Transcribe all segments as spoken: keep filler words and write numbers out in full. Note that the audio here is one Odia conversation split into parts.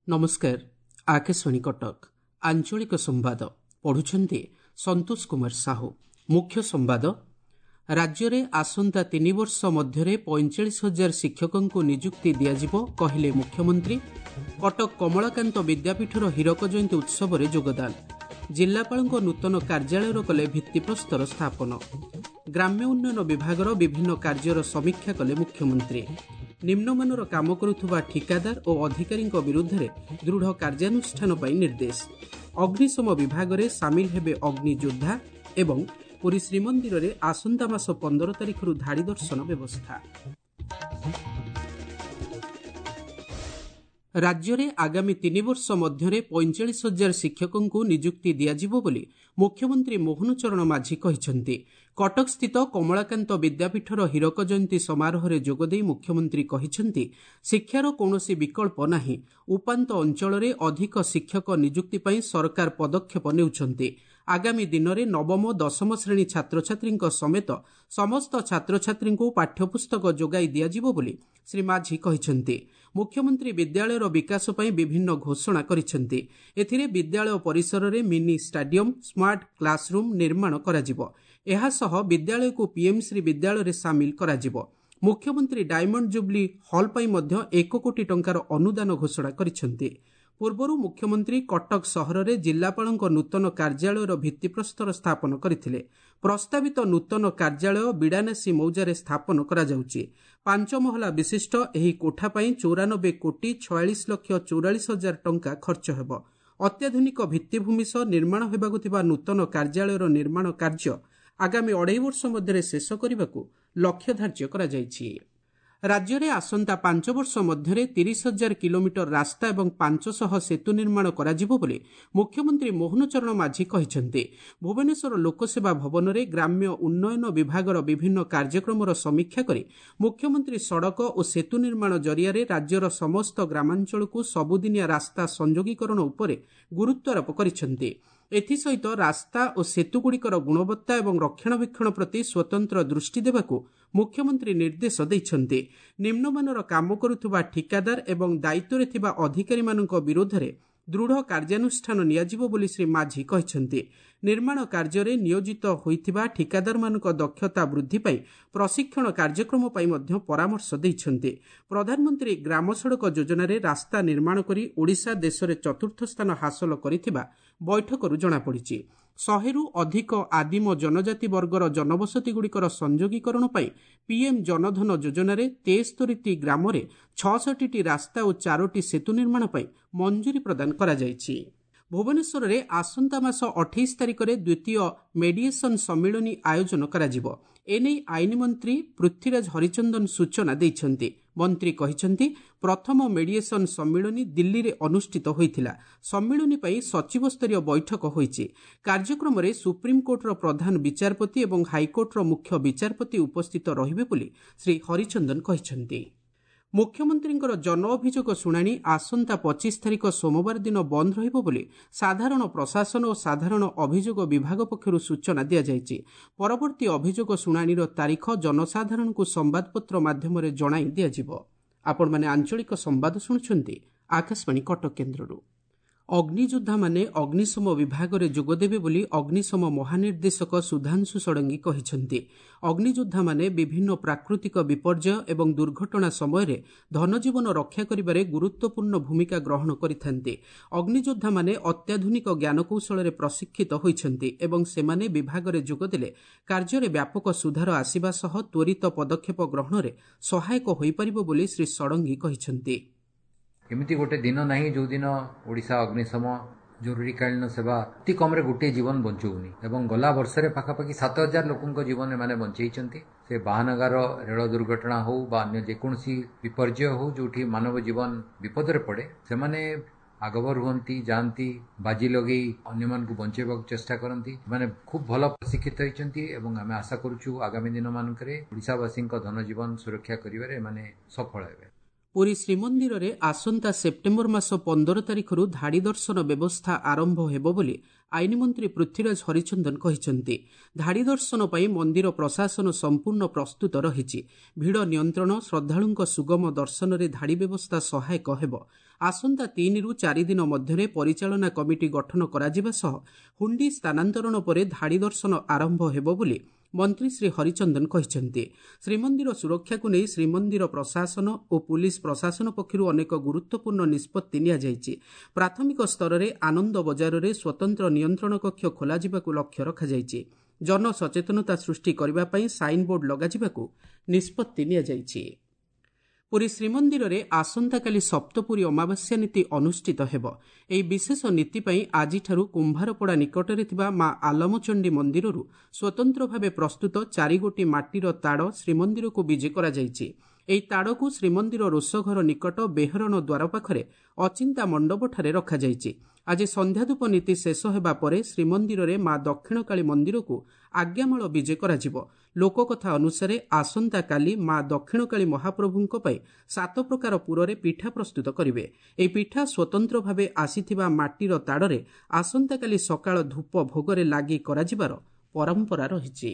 ନମସ୍କାର, ଆକାଶବାଣୀ କଟକ, ଆଞ୍ଚଳିକ ସମ୍ବାଦ ପଢୁଛନ୍ତି ସନ୍ତୋଷ କୁମାର ସାହୁ। ମୁଖ୍ୟ ସମ୍ବାଦ। ରାଜ୍ୟରେ ଆସନ୍ତା ତିନି ବର୍ଷ ମଧ୍ୟରେ ପଇଁଚାଳିଶ ହଜାର ଶିକ୍ଷକଙ୍କୁ ନିଯୁକ୍ତି ଦିଆଯିବ, କହିଲେ ମୁଖ୍ୟମନ୍ତ୍ରୀ। କଟକ କମଳାକାନ୍ତ ବିଦ୍ୟାପୀଠର ହୀରକ ଜୟନ୍ତୀ ଉତ୍ସବରେ ଯୋଗଦାନ। ଜିଲ୍ଲାପାଳଙ୍କ ନୂତନ କାର୍ଯ୍ୟାଳୟର କଲେ ଭିତ୍ତିପ୍ରସ୍ତର ସ୍ଥାପନ। ଗ୍ରାମ୍ୟ ଉନ୍ନୟନ ବିଭାଗର ବିଭିନ୍ନ କାର୍ଯ୍ୟର ସମୀକ୍ଷା କଲେ ମୁଖ୍ୟମନ୍ତ୍ରୀ। ନିମ୍ନମାନର କାମ କରୁଥିବା ଠିକାଦାର ଓ ଅଧିକାରୀଙ୍କ ବିରୁଦ୍ଧରେ ଦୃଢ଼ କାର୍ଯ୍ୟାନୁଷ୍ଠାନ ପାଇଁ ନିର୍ଦ୍ଦେଶ। ଅଗ୍ନିଶମ ବିଭାଗରେ ସାମିଲ ହେବେ ଅଗ୍ନିଯୋଦ୍ଧା ଏବଂ ପୁରୀ ଶ୍ରୀମନ୍ଦିରରେ ଆସନ୍ତା ମାସ ପନ୍ଦର ତାରିଖରୁ ଧାଡ଼ି ଦର୍ଶନ ବ୍ୟବସ୍ଥା। ରାଜ୍ୟରେ ଆଗାମୀ ତିନି ବର୍ଷ ମଧ୍ୟରେ ପଇଁଚାଳିଶ ହଜାର ଶିକ୍ଷକଙ୍କୁ ନିଯୁକ୍ତି ଦିଆଯିବ ବୋଲି ମୁଖ୍ୟମନ୍ତ୍ରୀ ମୋହନ ଚରଣ ମାଝୀ କହିଛନ୍ତି। କଟକସ୍ଥିତ କମଳାକାନ୍ତ ବିଦ୍ୟାପୀଠର ହୀରକ ଜୟନ୍ତୀ ସମାରୋହରେ ଯୋଗଦେଇ ମୁଖ୍ୟମନ୍ତ୍ରୀ କହିଛନ୍ତି, ଶିକ୍ଷାର କୌଣସି ବିକଳ୍ପ ନାହିଁ। ଉପାନ୍ତ ଅଞ୍ଚଳରେ ଅଧିକ ଶିକ୍ଷକ ନିଯୁକ୍ତି ପାଇଁ ସରକାର ପଦକ୍ଷେପ ନେଉଛନ୍ତି। ଆଗାମୀ ଦିନରେ ନବମ ଦଶମ ଶ୍ରେଣୀ ଛାତ୍ରଛାତ୍ରୀଙ୍କ ସମେତ ସମସ୍ତ ଛାତ୍ରଛାତ୍ରୀଙ୍କୁ ପାଠ୍ୟପୁସ୍ତକ ଯୋଗାଇ ଦିଆଯିବ ବୋଲି ଶ୍ରୀ ମାଝୀ କହିଛନ୍ତି। ମୁଖ୍ୟମନ୍ତ୍ରୀ ବିଦ୍ୟାଳୟର ବିକାଶ ପାଇଁ ବିଭିନ୍ନ ଘୋଷଣା କରିଛନ୍ତି। ଏଥିରେ ବିଦ୍ୟାଳୟ ପରିସରରେ ମିନି ଷ୍ଟାଡିୟମ, ସ୍ମାର୍ଟ କ୍ଲାସରୁମ୍ ନିର୍ମାଣ କରାଯିବ। ଏହାସହ ବିଦ୍ୟାଳୟକୁ ପିଏମ୍ଶ୍ରୀ ବିଦ୍ୟାଳୟରେ ସାମିଲ କରାଯିବ। ମୁଖ୍ୟମନ୍ତ୍ରୀ ଡାଇମଣ୍ଡ ଜୁବ୍ଲି ହଲ୍ ପାଇଁ ମଧ୍ୟ ଏକ କୋଟି ଟଙ୍କାର ଅନୁଦାନ ଘୋଷଣା କରିଛନ୍ତି। ପୂର୍ବରୁ ମୁଖ୍ୟମନ୍ତ୍ରୀ କଟକ ସହରରେ ଜିଲ୍ଲାପାଳଙ୍କ ନୂତନ କାର୍ଯ୍ୟାଳୟର ଭିତ୍ତିପ୍ରସ୍ତର ସ୍ଥାପନ କରିଥିଲେ। ପ୍ରସ୍ତାବିତ ନୂତନ କାର୍ଯ୍ୟାଳୟ ବିଡ଼ାନାସୀ ମୌଜାରେ ସ୍ଥାପନ କରାଯାଉଛି। ପାଞ୍ଚ ମହଲା ବିଶିଷ୍ଟ ଏହି କୋଠା ପାଇଁ ଚଉରାନବେ କୋଟି ଛୟାଳିଶ ଲକ୍ଷ ଚଉରାଳିଶ ହଜାର ଟଙ୍କା ଖର୍ଚ୍ଚ ହେବ। ଅତ୍ୟାଧୁନିକ ଭିତ୍ତିଭୂମି ସହ ନିର୍ମାଣ ହେବାକୁ ଥିବା ନୂତନ କାର୍ଯ୍ୟାଳୟର ନିର୍ମାଣ କାର୍ଯ୍ୟ ଆଗାମୀ ଅଢ଼େଇ ବର୍ଷ ମଧ୍ୟରେ ଶେଷ କରିବାକୁ ଲକ୍ଷ୍ୟ ଧାର୍ଯ୍ୟ କରାଯାଇଛି। ରାଜ୍ୟରେ ଆସନ୍ତା ପାଞ୍ଚ ବର୍ଷ ମଧ୍ୟରେ ତିରିଶ ହଜାର କିଲୋମିଟର ରାସ୍ତା ଏବଂ ପାଞ୍ଚଶହ ସେତୁ ନିର୍ମାଣ କରାଯିବ ବୋଲି ମୁଖ୍ୟମନ୍ତ୍ରୀ ମୋହନ ଚରଣ ମାଝୀ କହିଛନ୍ତି। ଭୁବନେଶ୍ୱର ଲୋକସେବା ଭବନରେ ଗ୍ରାମ୍ୟ ଉନ୍ନୟନ ବିଭାଗର ବିଭିନ୍ନ କାର୍ଯ୍ୟକ୍ରମର ସମୀକ୍ଷା କରି ମୁଖ୍ୟମନ୍ତ୍ରୀ ସଡ଼କ ଓ ସେତୁ ନିର୍ମାଣ ଜରିଆରେ ରାଜ୍ୟର ସମସ୍ତ ଗ୍ରାମାଞ୍ଚଳକୁ ସବୁଦିନିଆ ରାସ୍ତା ସଂଯୋଗୀକରଣ ଉପରେ ଗୁରୁତ୍ୱାରୋପ କରିଛନ୍ତି। ଏଥିସହିତ ରାସ୍ତା ଓ ସେତୁଗୁଡ଼ିକର ଗୁଣବତ୍ତା ଏବଂ ରକ୍ଷଣାବେକ୍ଷଣ ପ୍ରତି ସ୍ୱତନ୍ତ୍ର ଦୃଷ୍ଟି ଦେବାକୁ ମୁଖ୍ୟମନ୍ତ୍ରୀ ନିର୍ଦ୍ଦେଶ ଦେଇଛନ୍ତି। ନିମ୍ନମାନର କାମ କରୁଥିବା ଠିକାଦାର ଏବଂ ଦାୟିତ୍ୱରେ ଥିବା ଅଧିକାରୀମାନଙ୍କ ବିରୋଧରେ ଦୃଢ଼ କାର୍ଯ୍ୟାନୁଷ୍ଠାନ ନିଆଯିବ ବୋଲି ଶ୍ରୀ ମାଝୀ କହିଛନ୍ତି। ନିର୍ମାଣ କାର୍ଯ୍ୟରେ ନିୟୋଜିତ ହୋଇଥିବା ଠିକାଦାରମାନଙ୍କ ଦକ୍ଷତା ବୃଦ୍ଧି ପାଇଁ ପ୍ରଶିକ୍ଷଣ କାର୍ଯ୍ୟକ୍ରମ ପାଇଁ ମଧ୍ୟ ପରାମର୍ଶ ଦେଇଛନ୍ତି। ପ୍ରଧାନମନ୍ତ୍ରୀ ଗ୍ରାମ ସଡ଼କ ଯୋଜନାରେ ରାସ୍ତା ନିର୍ମାଣ କରି ଓଡ଼ିଶା ଦେଶରେ ଚତୁର୍ଥ ସ୍ଥାନ ହାସଲ କରିଥିବା ବୈଠକରୁ ଜଣାପଡ଼ିଛି। ଶହେରୁ ଅଧିକ ଆଦିମ ଜନଜାତି ବର୍ଗର ଜନବସତିଗୁଡ଼ିକର ସଂଯୋଗୀକରଣ ପାଇଁ ପିଏମ୍ ଜନଧନ ଯୋଜନାରେ ତେସ୍ତରୀଟି ଗ୍ରାମରେ ଛଅଷଠିଟି ରାସ୍ତା ଓ ଚାରୋଟି ସେତୁ ନିର୍ମାଣ ପାଇଁ ମଞ୍ଜୁରୀ ପ୍ରଦାନ କରାଯାଇଛି। ଭୁବନେଶ୍ୱରରେ ଆସନ୍ତା ମାସ ଅଠେଇଶ ତାରିଖରେ ଦ୍ୱିତୀୟ ମେଡିଏସନ୍ ସମ୍ମିଳନୀ ଆୟୋଜନ କରାଯିବ। ଏନେଇ ଆଇନ ମନ୍ତ୍ରୀ ପୃଥ୍ୱୀରାଜ ହରିଚନ୍ଦନ ସୂଚନା ଦେଇଛନ୍ତି। ମନ୍ତ୍ରୀ କହିଛନ୍ତି, ପ୍ରଥମ ମେଡିଏସନ୍ ସମ୍ମିଳନୀ ଦିଲ୍ଲୀରେ ଅନୁଷ୍ଠିତ ହୋଇଥିଲା। ସମ୍ମିଳନୀ ପାଇଁ ସଚିବସ୍ତରୀୟ ବୈଠକ ହୋଇଛି। କାର୍ଯ୍ୟକ୍ରମରେ ସୁପ୍ରିମକୋର୍ଟର ପ୍ରଧାନ ବିଚାରପତି ଏବଂ ହାଇକୋର୍ଟର ମୁଖ୍ୟ ବିଚାରପତି ଉପସ୍ଥିତ ରହିବେ ବୋଲି ଶ୍ରୀ ହରିଚନ୍ଦନ କହିଛନ୍ତି। ମୁଖ୍ୟମନ୍ତ୍ରୀଙ୍କର ଜନ ଅଭିଯୋଗ ଶୁଣାଣି ଆସନ୍ତା ପଚିଶ ତାରିଖ ସୋମବାର ଦିନ ବନ୍ଦ ରହିବ ବୋଲି ସାଧାରଣ ପ୍ରଶାସନ ଓ ସାଧାରଣ ଅଭିଯୋଗ ବିଭାଗ ପକ୍ଷରୁ ସୂଚନା ଦିଆଯାଇଛି। ପରବର୍ତ୍ତୀ ଅଭିଯୋଗ ଶୁଣାଣିର ତାରିଖ ଜନସାଧାରଣଙ୍କୁ ସମ୍ବାଦପତ୍ର ମାଧ୍ୟମରେ ଜଣାଇ ଦିଆଯିବ। ଆପଣମାନେ ଆଞ୍ଚଳିକ ସମ୍ବାଦ ଶୁଣୁଛନ୍ତି ଆକାଶବାଣୀ କଟକ କେନ୍ଦ୍ରରୁ। ଅଗ୍ନିଯୋଦ୍ଧାମାନେ ଅଗ୍ନିଶମ ବିଭାଗରେ ଯୋଗଦେବେ ବୋଲି ଅଗ୍ନିଶମ ମହାନିର୍ଦ୍ଦେଶକ ସୁଧାଂଶୁ ଷଡ଼ଙ୍ଗୀ କହିଛନ୍ତି। ଅଗ୍ନିଯୋଦ୍ଧାମାନେ ବିଭିନ୍ନ ପ୍ରାକୃତିକ ବିପର୍ଯ୍ୟୟ ଏବଂ ଦୁର୍ଘଟଣା ସମୟରେ ଧନଜୀବନ ରକ୍ଷା କରିବାରେ ଗୁରୁତ୍ୱପୂର୍ଣ୍ଣ ଭୂମିକା ଗ୍ରହଣ କରିଥାନ୍ତି। ଅଗ୍ନିଯୋଦ୍ଧାମାନେ ଅତ୍ୟାଧୁନିକ ଜ୍ଞାନକୌଶଳରେ ପ୍ରଶିକ୍ଷିତ ହୋଇଛନ୍ତି ଏବଂ ସେମାନେ ବିଭାଗରେ ଯୋଗଦେଲେ କାର୍ଯ୍ୟରେ ବ୍ୟାପକ ସୁଧାର ଆସିବା ସହ ତ୍ୱରିତ ପଦକ୍ଷେପ ଗ୍ରହଣରେ ସହାୟକ ହୋଇପାରିବ ବୋଲି ଶ୍ରୀ ଷଡ଼ଙ୍ଗୀ କହିଛନ୍ତି। ଏମିତି ଗୋଟେ ଦିନ ନାହିଁ ଯେଉଁଦିନ ଓଡ଼ିଶା ଅଗ୍ନିଶମ ଜରୁରୀକାଳୀନ ସେବା ଅତି କମ୍ରେ ଗୋଟିଏ ଜୀବନ ବଞ୍ଚଉନି ଏବଂ ଗଲା ବର୍ଷରେ ପାଖାପାଖି ସାତ ହଜାର ଲୋକଙ୍କ ଜୀବନ ଏମାନେ ବଞ୍ଚେଇଛନ୍ତି। ସେ ବାହାନଗାର ରେଳ ଦୁର୍ଘଟଣା ହେଉ ବା ଅନ୍ୟ ଯେକୌଣସି ବିପର୍ଯ୍ୟୟ ହେଉ ଯେଉଁଠି ମାନବ ଜୀବନ ବିପଦରେ ପଡ଼େ, ସେମାନେ ଆଗଭର ହୁଅନ୍ତି, ଯାଆନ୍ତି, ବାଜି ଲଗେଇ ଅନ୍ୟମାନଙ୍କୁ ବଞ୍ଚେଇବାକୁ ଚେଷ୍ଟା କରନ୍ତି। ସେମାନେ ଖୁବ୍ ଭଲ ପ୍ରଶିକ୍ଷିତ ହୋଇଛନ୍ତି ଏବଂ ଆମେ ଆଶା କରୁଛୁ ଆଗାମୀ ଦିନମାନଙ୍କରେ ଓଡ଼ିଶାବାସୀଙ୍କ ଧନଜୀବନ ସୁରକ୍ଷା କରିବାରେ ଏମାନେ ସଫଳ ହେବେ। ପୁରୀ ଶ୍ରୀମନ୍ଦିରରେ ଆସନ୍ତା ସେପ୍ଟେମ୍ବର ମାସ ପନ୍ଦର ତାରିଖରୁ ଧାଡ଼ି ଦର୍ଶନ ବ୍ୟବସ୍ଥା ଆରମ୍ଭ ହେବ ବୋଲି ଆଇନମନ୍ତ୍ରୀ ପୃଥ୍ୱୀରାଜ ହରିଚନ୍ଦନ କହିଛନ୍ତି। ଧାଡ଼ି ଦର୍ଶନ ପାଇଁ ମନ୍ଦିର ପ୍ରଶାସନ ସମ୍ପୂର୍ଣ୍ଣ ପ୍ରସ୍ତୁତ ରହିଛି। ଭିଡ଼ ନିୟନ୍ତ୍ରଣ, ଶ୍ରଦ୍ଧାଳୁଙ୍କ ସୁଗମ ଦର୍ଶନରେ ଧାଡ଼ି ବ୍ୟବସ୍ଥା ସହାୟକ ହେବ। ଆସନ୍ତା ତିନିରୁ ଚାରି ଦିନ ମଧ୍ୟରେ ପରିଚାଳନା କମିଟି ଗଠନ କରାଯିବା ସହ ହୁଣ୍ଡି ସ୍ଥାନାନ୍ତରଣ ପରେ ଧାଡ଼ି ଦର୍ଶନ ଆରମ୍ଭ ହେବ ବୋଲି ମନ୍ତ୍ରୀ ଶ୍ରୀ ହରିଚନ୍ଦନ କହିଛନ୍ତି। ଶ୍ରୀମନ୍ଦିର ସୁରକ୍ଷାକୁ ନେଇ ଶ୍ରୀମନ୍ଦିର ପ୍ରଶାସନ ଓ ପୁଲିସ ପ୍ରଶାସନ ପକ୍ଷରୁ ଅନେକ ଗୁରୁତ୍ୱପୂର୍ଣ୍ଣ ନିଷ୍ପତ୍ତି ନିଆଯାଇଛି। ପ୍ରାଥମିକ ସ୍ତରରେ ଆନନ୍ଦ ବଜାରରେ ସ୍ୱତନ୍ତ୍ର ନିୟନ୍ତ୍ରଣ କକ୍ଷ ଖୋଲାଯିବାକୁ ଲକ୍ଷ୍ୟ ରଖାଯାଇଛି। ଜନସଚେତନତା ସୃଷ୍ଟି କରିବା ପାଇଁ ସାଇନ୍ବୋର୍ଡ ଲଗାଯିବାକୁ ନିଷ୍ପତ୍ତି ନିଆଯାଇଛି। ପୁରୀ ଶ୍ରୀମନ୍ଦିରରେ ଆସନ୍ତାକାଲି ସପ୍ତପୁରୀ ଅମାବାସ୍ୟା ନୀତି ଅନୁଷ୍ଠିତ ହେବ। ଏହି ବିଶେଷ ନୀତି ପାଇଁ ଆଜିଠାରୁ କୁମ୍ଭାରପଡ଼ା ନିକଟରେ ଥିବା ମା ଆଲମଚଣ୍ଡୀ ମନ୍ଦିରରୁ ସ୍ୱତନ୍ତ୍ର ଭାବେ ପ୍ରସ୍ତୁତ ଚାରିଗୋଟି ମାଟିର ତାଡ଼ ଶ୍ରୀମନ୍ଦିରକୁ ବିଜେ କରାଯାଇଛି। ଏହି ତାଡ଼କୁ ଶ୍ରୀମନ୍ଦିର ରୋଷଘର ନିକଟ ବେହରଣ ଦ୍ୱାର ପାଖରେ ଅଚିନ୍ତା ମଣ୍ଡପଠାରେ ରଖାଯାଇଛି। ଆଜି ସନ୍ଧ୍ୟାଧୂପ ନୀତି ଶେଷ ହେବା ପରେ ଶ୍ରୀମନ୍ଦିରରେ ମା ଦକ୍ଷିଣକାଳୀ ମନ୍ଦିରକୁ ଆଜ୍ଞାମାଳ ବିଜେ କରାଯିବ। ଲୋକକଥା ଅନୁସାରେ ଆସନ୍ତାକାଲି ମା ଦକ୍ଷିଣକାଳୀ ମହାପ୍ରଭୁଙ୍କ ପାଇଁ ସାତ ପ୍ରକାର ପୁରରେ ପିଠା ପ୍ରସ୍ତୁତ କରିବେ। ଏହି ପିଠା ସ୍ୱତନ୍ତ୍ର ଭାବେ ଆସିଥିବା ମାଟିର ତାଡ଼ରେ ଆସନ୍ତାକାଲି ସକାଳ ଧୂପ ଭୋଗରେ ଲାଗି କରାଯିବାର ପରମ୍ପରା ରହିଛି।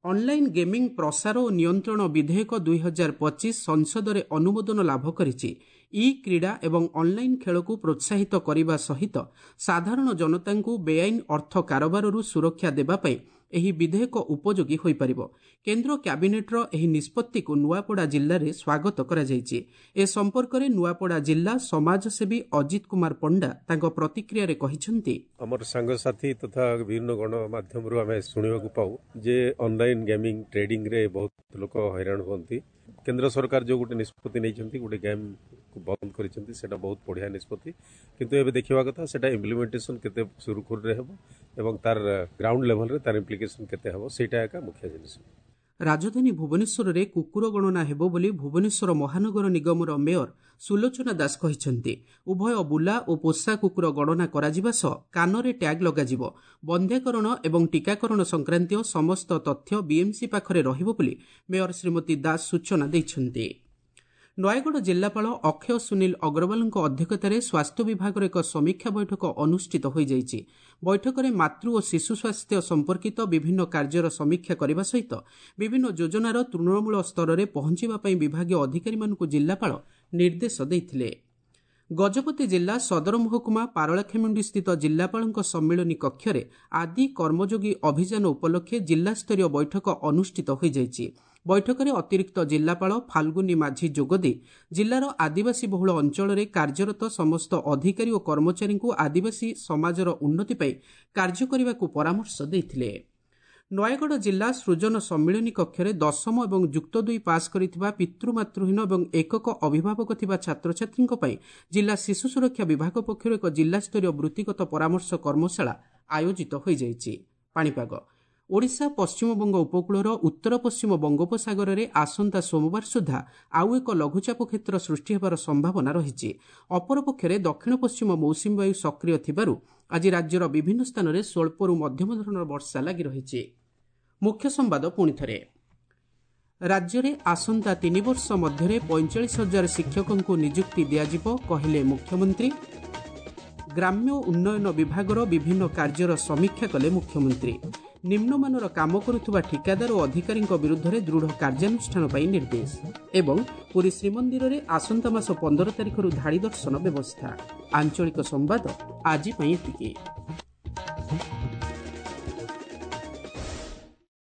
ଅନଲାଇନ୍ ଗେମିଂ ପ୍ରସାର ଓ ନିୟନ୍ତ୍ରଣ ବିଧେୟକ ଦୁଇ ହଜାର ପଚିଶ ସଂସଦରେ ଅନୁମୋଦନ ଲାଭ କରିଛି। ଇ କ୍ରୀଡ଼ା ଏବଂ ଅନଲାଇନ୍ ଖେଳକୁ ପ୍ରୋତ୍ସାହିତ କରିବା ସହିତ ସାଧାରଣ ଜନତାଙ୍କୁ ବେଆଇନ ଅର୍ଥ କାରବାରରୁ ସୁରକ୍ଷା ଦେବା ପାଇଁ ଏହି ବିଧେୟକ ଉପଯୋଗୀ ହୋଇପାରିବ। କେନ୍ଦ୍ର କ୍ୟାବିନେଟ୍ର ଏହି ନିଷ୍ପତ୍ତିକୁ ନୂଆପଡ଼ା ଜିଲ୍ଲାରେ ସ୍ୱାଗତ କରାଯାଇଛି। ଏ ସମ୍ପର୍କରେ ନୂଆପଡ଼ା ଜିଲ୍ଲା ସମାଜସେବୀ ଅଜିତ କୁମାର ପଣ୍ଡା ତାଙ୍କ ପ୍ରତିକ୍ରିୟାରେ କହିଛନ୍ତି, ଆମର ସାଙ୍ଗସାଥି ତଥା ବିଭିନ୍ନ ଗଣମାଧ୍ୟମରୁ ଆମେ ଶୁଣିବାକୁ ପାଉ ଯେ ଅନଲାଇନ୍ ଗେମିଂ ଟ୍ରେଡିଂରେ ବହୁତ ଲୋକ ହଇରାଣ ହୁଅନ୍ତି। କେନ୍ଦ୍ର ସରକାର ଯେଉଁ ଗୋଟେ ନିଷ୍ପତ୍ତି ନେଇଛନ୍ତି, ଗୋଟେ ଗେମ୍କୁ ବନ୍ଦ କରିଛନ୍ତି, ସେଇଟା ବହୁତ ବଢ଼ିଆ ନିଷ୍ପତ୍ତି। କିନ୍ତୁ ଏବେ ଦେଖିବା କଥା ସେଇଟା ଇମ୍ପ୍ଲିମେଣ୍ଟେସନ୍ କେତେ ସୁରୁଖୁରୁରେ ହେବ ଏବଂ ତାର ଗ୍ରାଉଣ୍ଡ ଲେଭେଲରେ ତାର ଇମ୍ପ୍ଲିକେସନ୍ କେତେ ହେବ, ସେଇଟା ଏକା ମୁଖ୍ୟ ଜିନିଷ। ରାଜଧାନୀ ଭୁବନେଶ୍ୱରରେ କୁକୁର ଗଣନା ହେବ ବୋଲି ଭୁବନେଶ୍ୱର ମହାନଗର ନିଗମର ମେୟର ସୁଲୋଚନା ଦାସ କହିଛନ୍ତି। ଉଭୟ ବୁଲା ଓ ପୋଷା କୁକୁର ଗଣନା କରାଯିବା ସହ କାନରେ ଟ୍ୟାଗ୍ ଲଗାଯିବ। ବନ୍ଧ୍ୟାକରଣ ଏବଂ ଟିକାକରଣ ସଂକ୍ରାନ୍ତୀୟ ସମସ୍ତ ତଥ୍ୟ ବିଏମ୍ସି ପାଖରେ ରହିବ ବୋଲି ମେୟର ଶ୍ରୀମତୀ ଦାସ ସୂଚନା ଦେଇଛନ୍ତି। ନୟାଗଡ଼ ଜିଲ୍ଲାପାଳ ଅକ୍ଷୟ ସୁନୀଲ ଅଗ୍ରୱାଲଙ୍କ ଅଧ୍ୟକ୍ଷତାରେ ସ୍ୱାସ୍ଥ୍ୟ ବିଭାଗର ଏକ ସମୀକ୍ଷା ବୈଠକ ଅନୁଷ୍ଠିତ ହୋଇଯାଇଛି। ବୈଠକରେ ମାତୃ ଓ ଶିଶୁ ସ୍ୱାସ୍ଥ୍ୟ ସମ୍ପର୍କିତ ବିଭିନ୍ନ କାର୍ଯ୍ୟର ସମୀକ୍ଷା କରିବା ସହିତ ବିଭିନ୍ନ ଯୋଜନାର ତୃଣମୂଳ ସ୍ତରରେ ପହଞ୍ଚିବା ପାଇଁ ବିଭାଗୀୟ ଅଧିକାରୀମାନଙ୍କୁ ଜିଲ୍ଲାପାଳ ନିର୍ଦ୍ଦେଶ ଦେଇଥିଲେ। ଗଜପତି ଜିଲ୍ଲା ସଦର ମହକୁମା ପାରଳାଖେମୁଣ୍ଡିସ୍ଥିତ ଜିଲ୍ଲାପାଳଙ୍କ ସମ୍ମିଳନୀ କକ୍ଷରେ ଆଦି କର୍ମଯୋଗୀ ଅଭିଯାନ ଉପଲକ୍ଷେ ଜିଲ୍ଲାସ୍ତରୀୟ ବୈଠକ ଅନୁଷ୍ଠିତ ହୋଇଯାଇଛି। ବୈଠକରେ ଅତିରିକ୍ତ ଜିଲ୍ଲାପାଳ ଫାଲ୍ଗୁନି ମାଝୀ ଯୋଗଦେଇ ଜିଲ୍ଲାର ଆଦିବାସୀ ବହୁଳ ଅଞ୍ଚଳରେ କାର୍ଯ୍ୟରତ ସମସ୍ତ ଅଧିକାରୀ ଓ କର୍ମଚାରୀଙ୍କୁ ଆଦିବାସୀ ସମାଜର ଉନ୍ନତି ପାଇଁ କାର୍ଯ୍ୟ କରିବାକୁ ପରାମର୍ଶ ଦେଇଥିଲେ। ନୟାଗଡ଼ ଜିଲ୍ଲା ସୃଜନ ସମ୍ମିଳନୀ କକ୍ଷରେ ଦଶମ ଏବଂ ଯୁକ୍ତ ଦୁଇ ପାସ୍ କରିଥିବା ପିତୃମାତୃହୀନ ଏବଂ ଏକକ ଅଭିଭାବକ ଥିବା ଛାତ୍ରଛାତ୍ରୀଙ୍କ ପାଇଁ ଜିଲ୍ଲା ଶିଶୁ ସୁରକ୍ଷା ବିଭାଗ ପକ୍ଷରୁ ଏକ ଜିଲ୍ଲାସ୍ତରୀୟ ବୃତ୍ତିଗତ ପରାମର୍ଶ କର୍ମଶାଳା ଆୟୋଜିତ ହୋଇଯାଇଛି। ପାଣିପାଗ ଓଡ଼ିଶା ପଶ୍ଚିମବଙ୍ଗ ଉପକୂଳର ଉତ୍ତର ପଶ୍ଚିମ ବଙ୍ଗୋପସାଗରରେ ଆସନ୍ତା ସୋମବାର ସୁଦ୍ଧା ଆଉ ଏକ ଲଘୁଚାପ କ୍ଷେତ୍ର ସୃଷ୍ଟି ହେବାର ସମ୍ଭାବନା ରହିଛି। ଅପରପକ୍ଷରେ ଦକ୍ଷିଣ ପଶ୍ଚିମ ମୌସୁମୀ ବାୟୁ ସକ୍ରିୟ ଥିବାରୁ ଆଜି ରାଜ୍ୟର ବିଭିନ୍ନ ସ୍ଥାନରେ ସ୍ୱଳ୍ପରୁ ମଧ୍ୟମ ଧରଣର ବର୍ଷା ଲାଗି ରହିଛି। ମୁଖ୍ୟ ସମ୍ବାଦ ପୁଣିଥରେ, ରାଜ୍ୟରେ ଆସନ୍ତା ତିନି ବର୍ଷ ମଧ୍ୟରେ ପଇଁଚାଳିଶ ହଜାର ଶିକ୍ଷକଙ୍କୁ ନିଯୁକ୍ତି ଦିଆଯିବ କହିଲେ ମୁଖ୍ୟମନ୍ତ୍ରୀ। ଗ୍ରାମ୍ୟ ଉନ୍ନୟନ ବିଭାଗର ବିଭିନ୍ନ କାର୍ଯ୍ୟର ସମୀକ୍ଷା କଲେ ମୁଖ୍ୟମନ୍ତ୍ରୀ। ନିମ୍ନମାନର କାମ କରୁଥିବା ଠିକାଦାର ଓ ଅଧିକାରୀଙ୍କ ବିରୁଦ୍ଧରେ ଦୃଢ଼ କାର୍ଯ୍ୟାନୁଷ୍ଠାନ ପାଇଁ ନିର୍ଦ୍ଦେଶ। ଏବଂ ପୁରୀ ଶ୍ରୀମନ୍ଦିରରେ ଆସନ୍ତା ମାସ ପନ୍ଦର ତାରିଖରୁ ଧାଡ଼ି ଦର୍ଶନ ବ୍ୟବସ୍ଥା। ଆଞ୍ଚଳିକ ସମ୍ବାଦ ଆଜି ପାଇଁ ଏତିକି।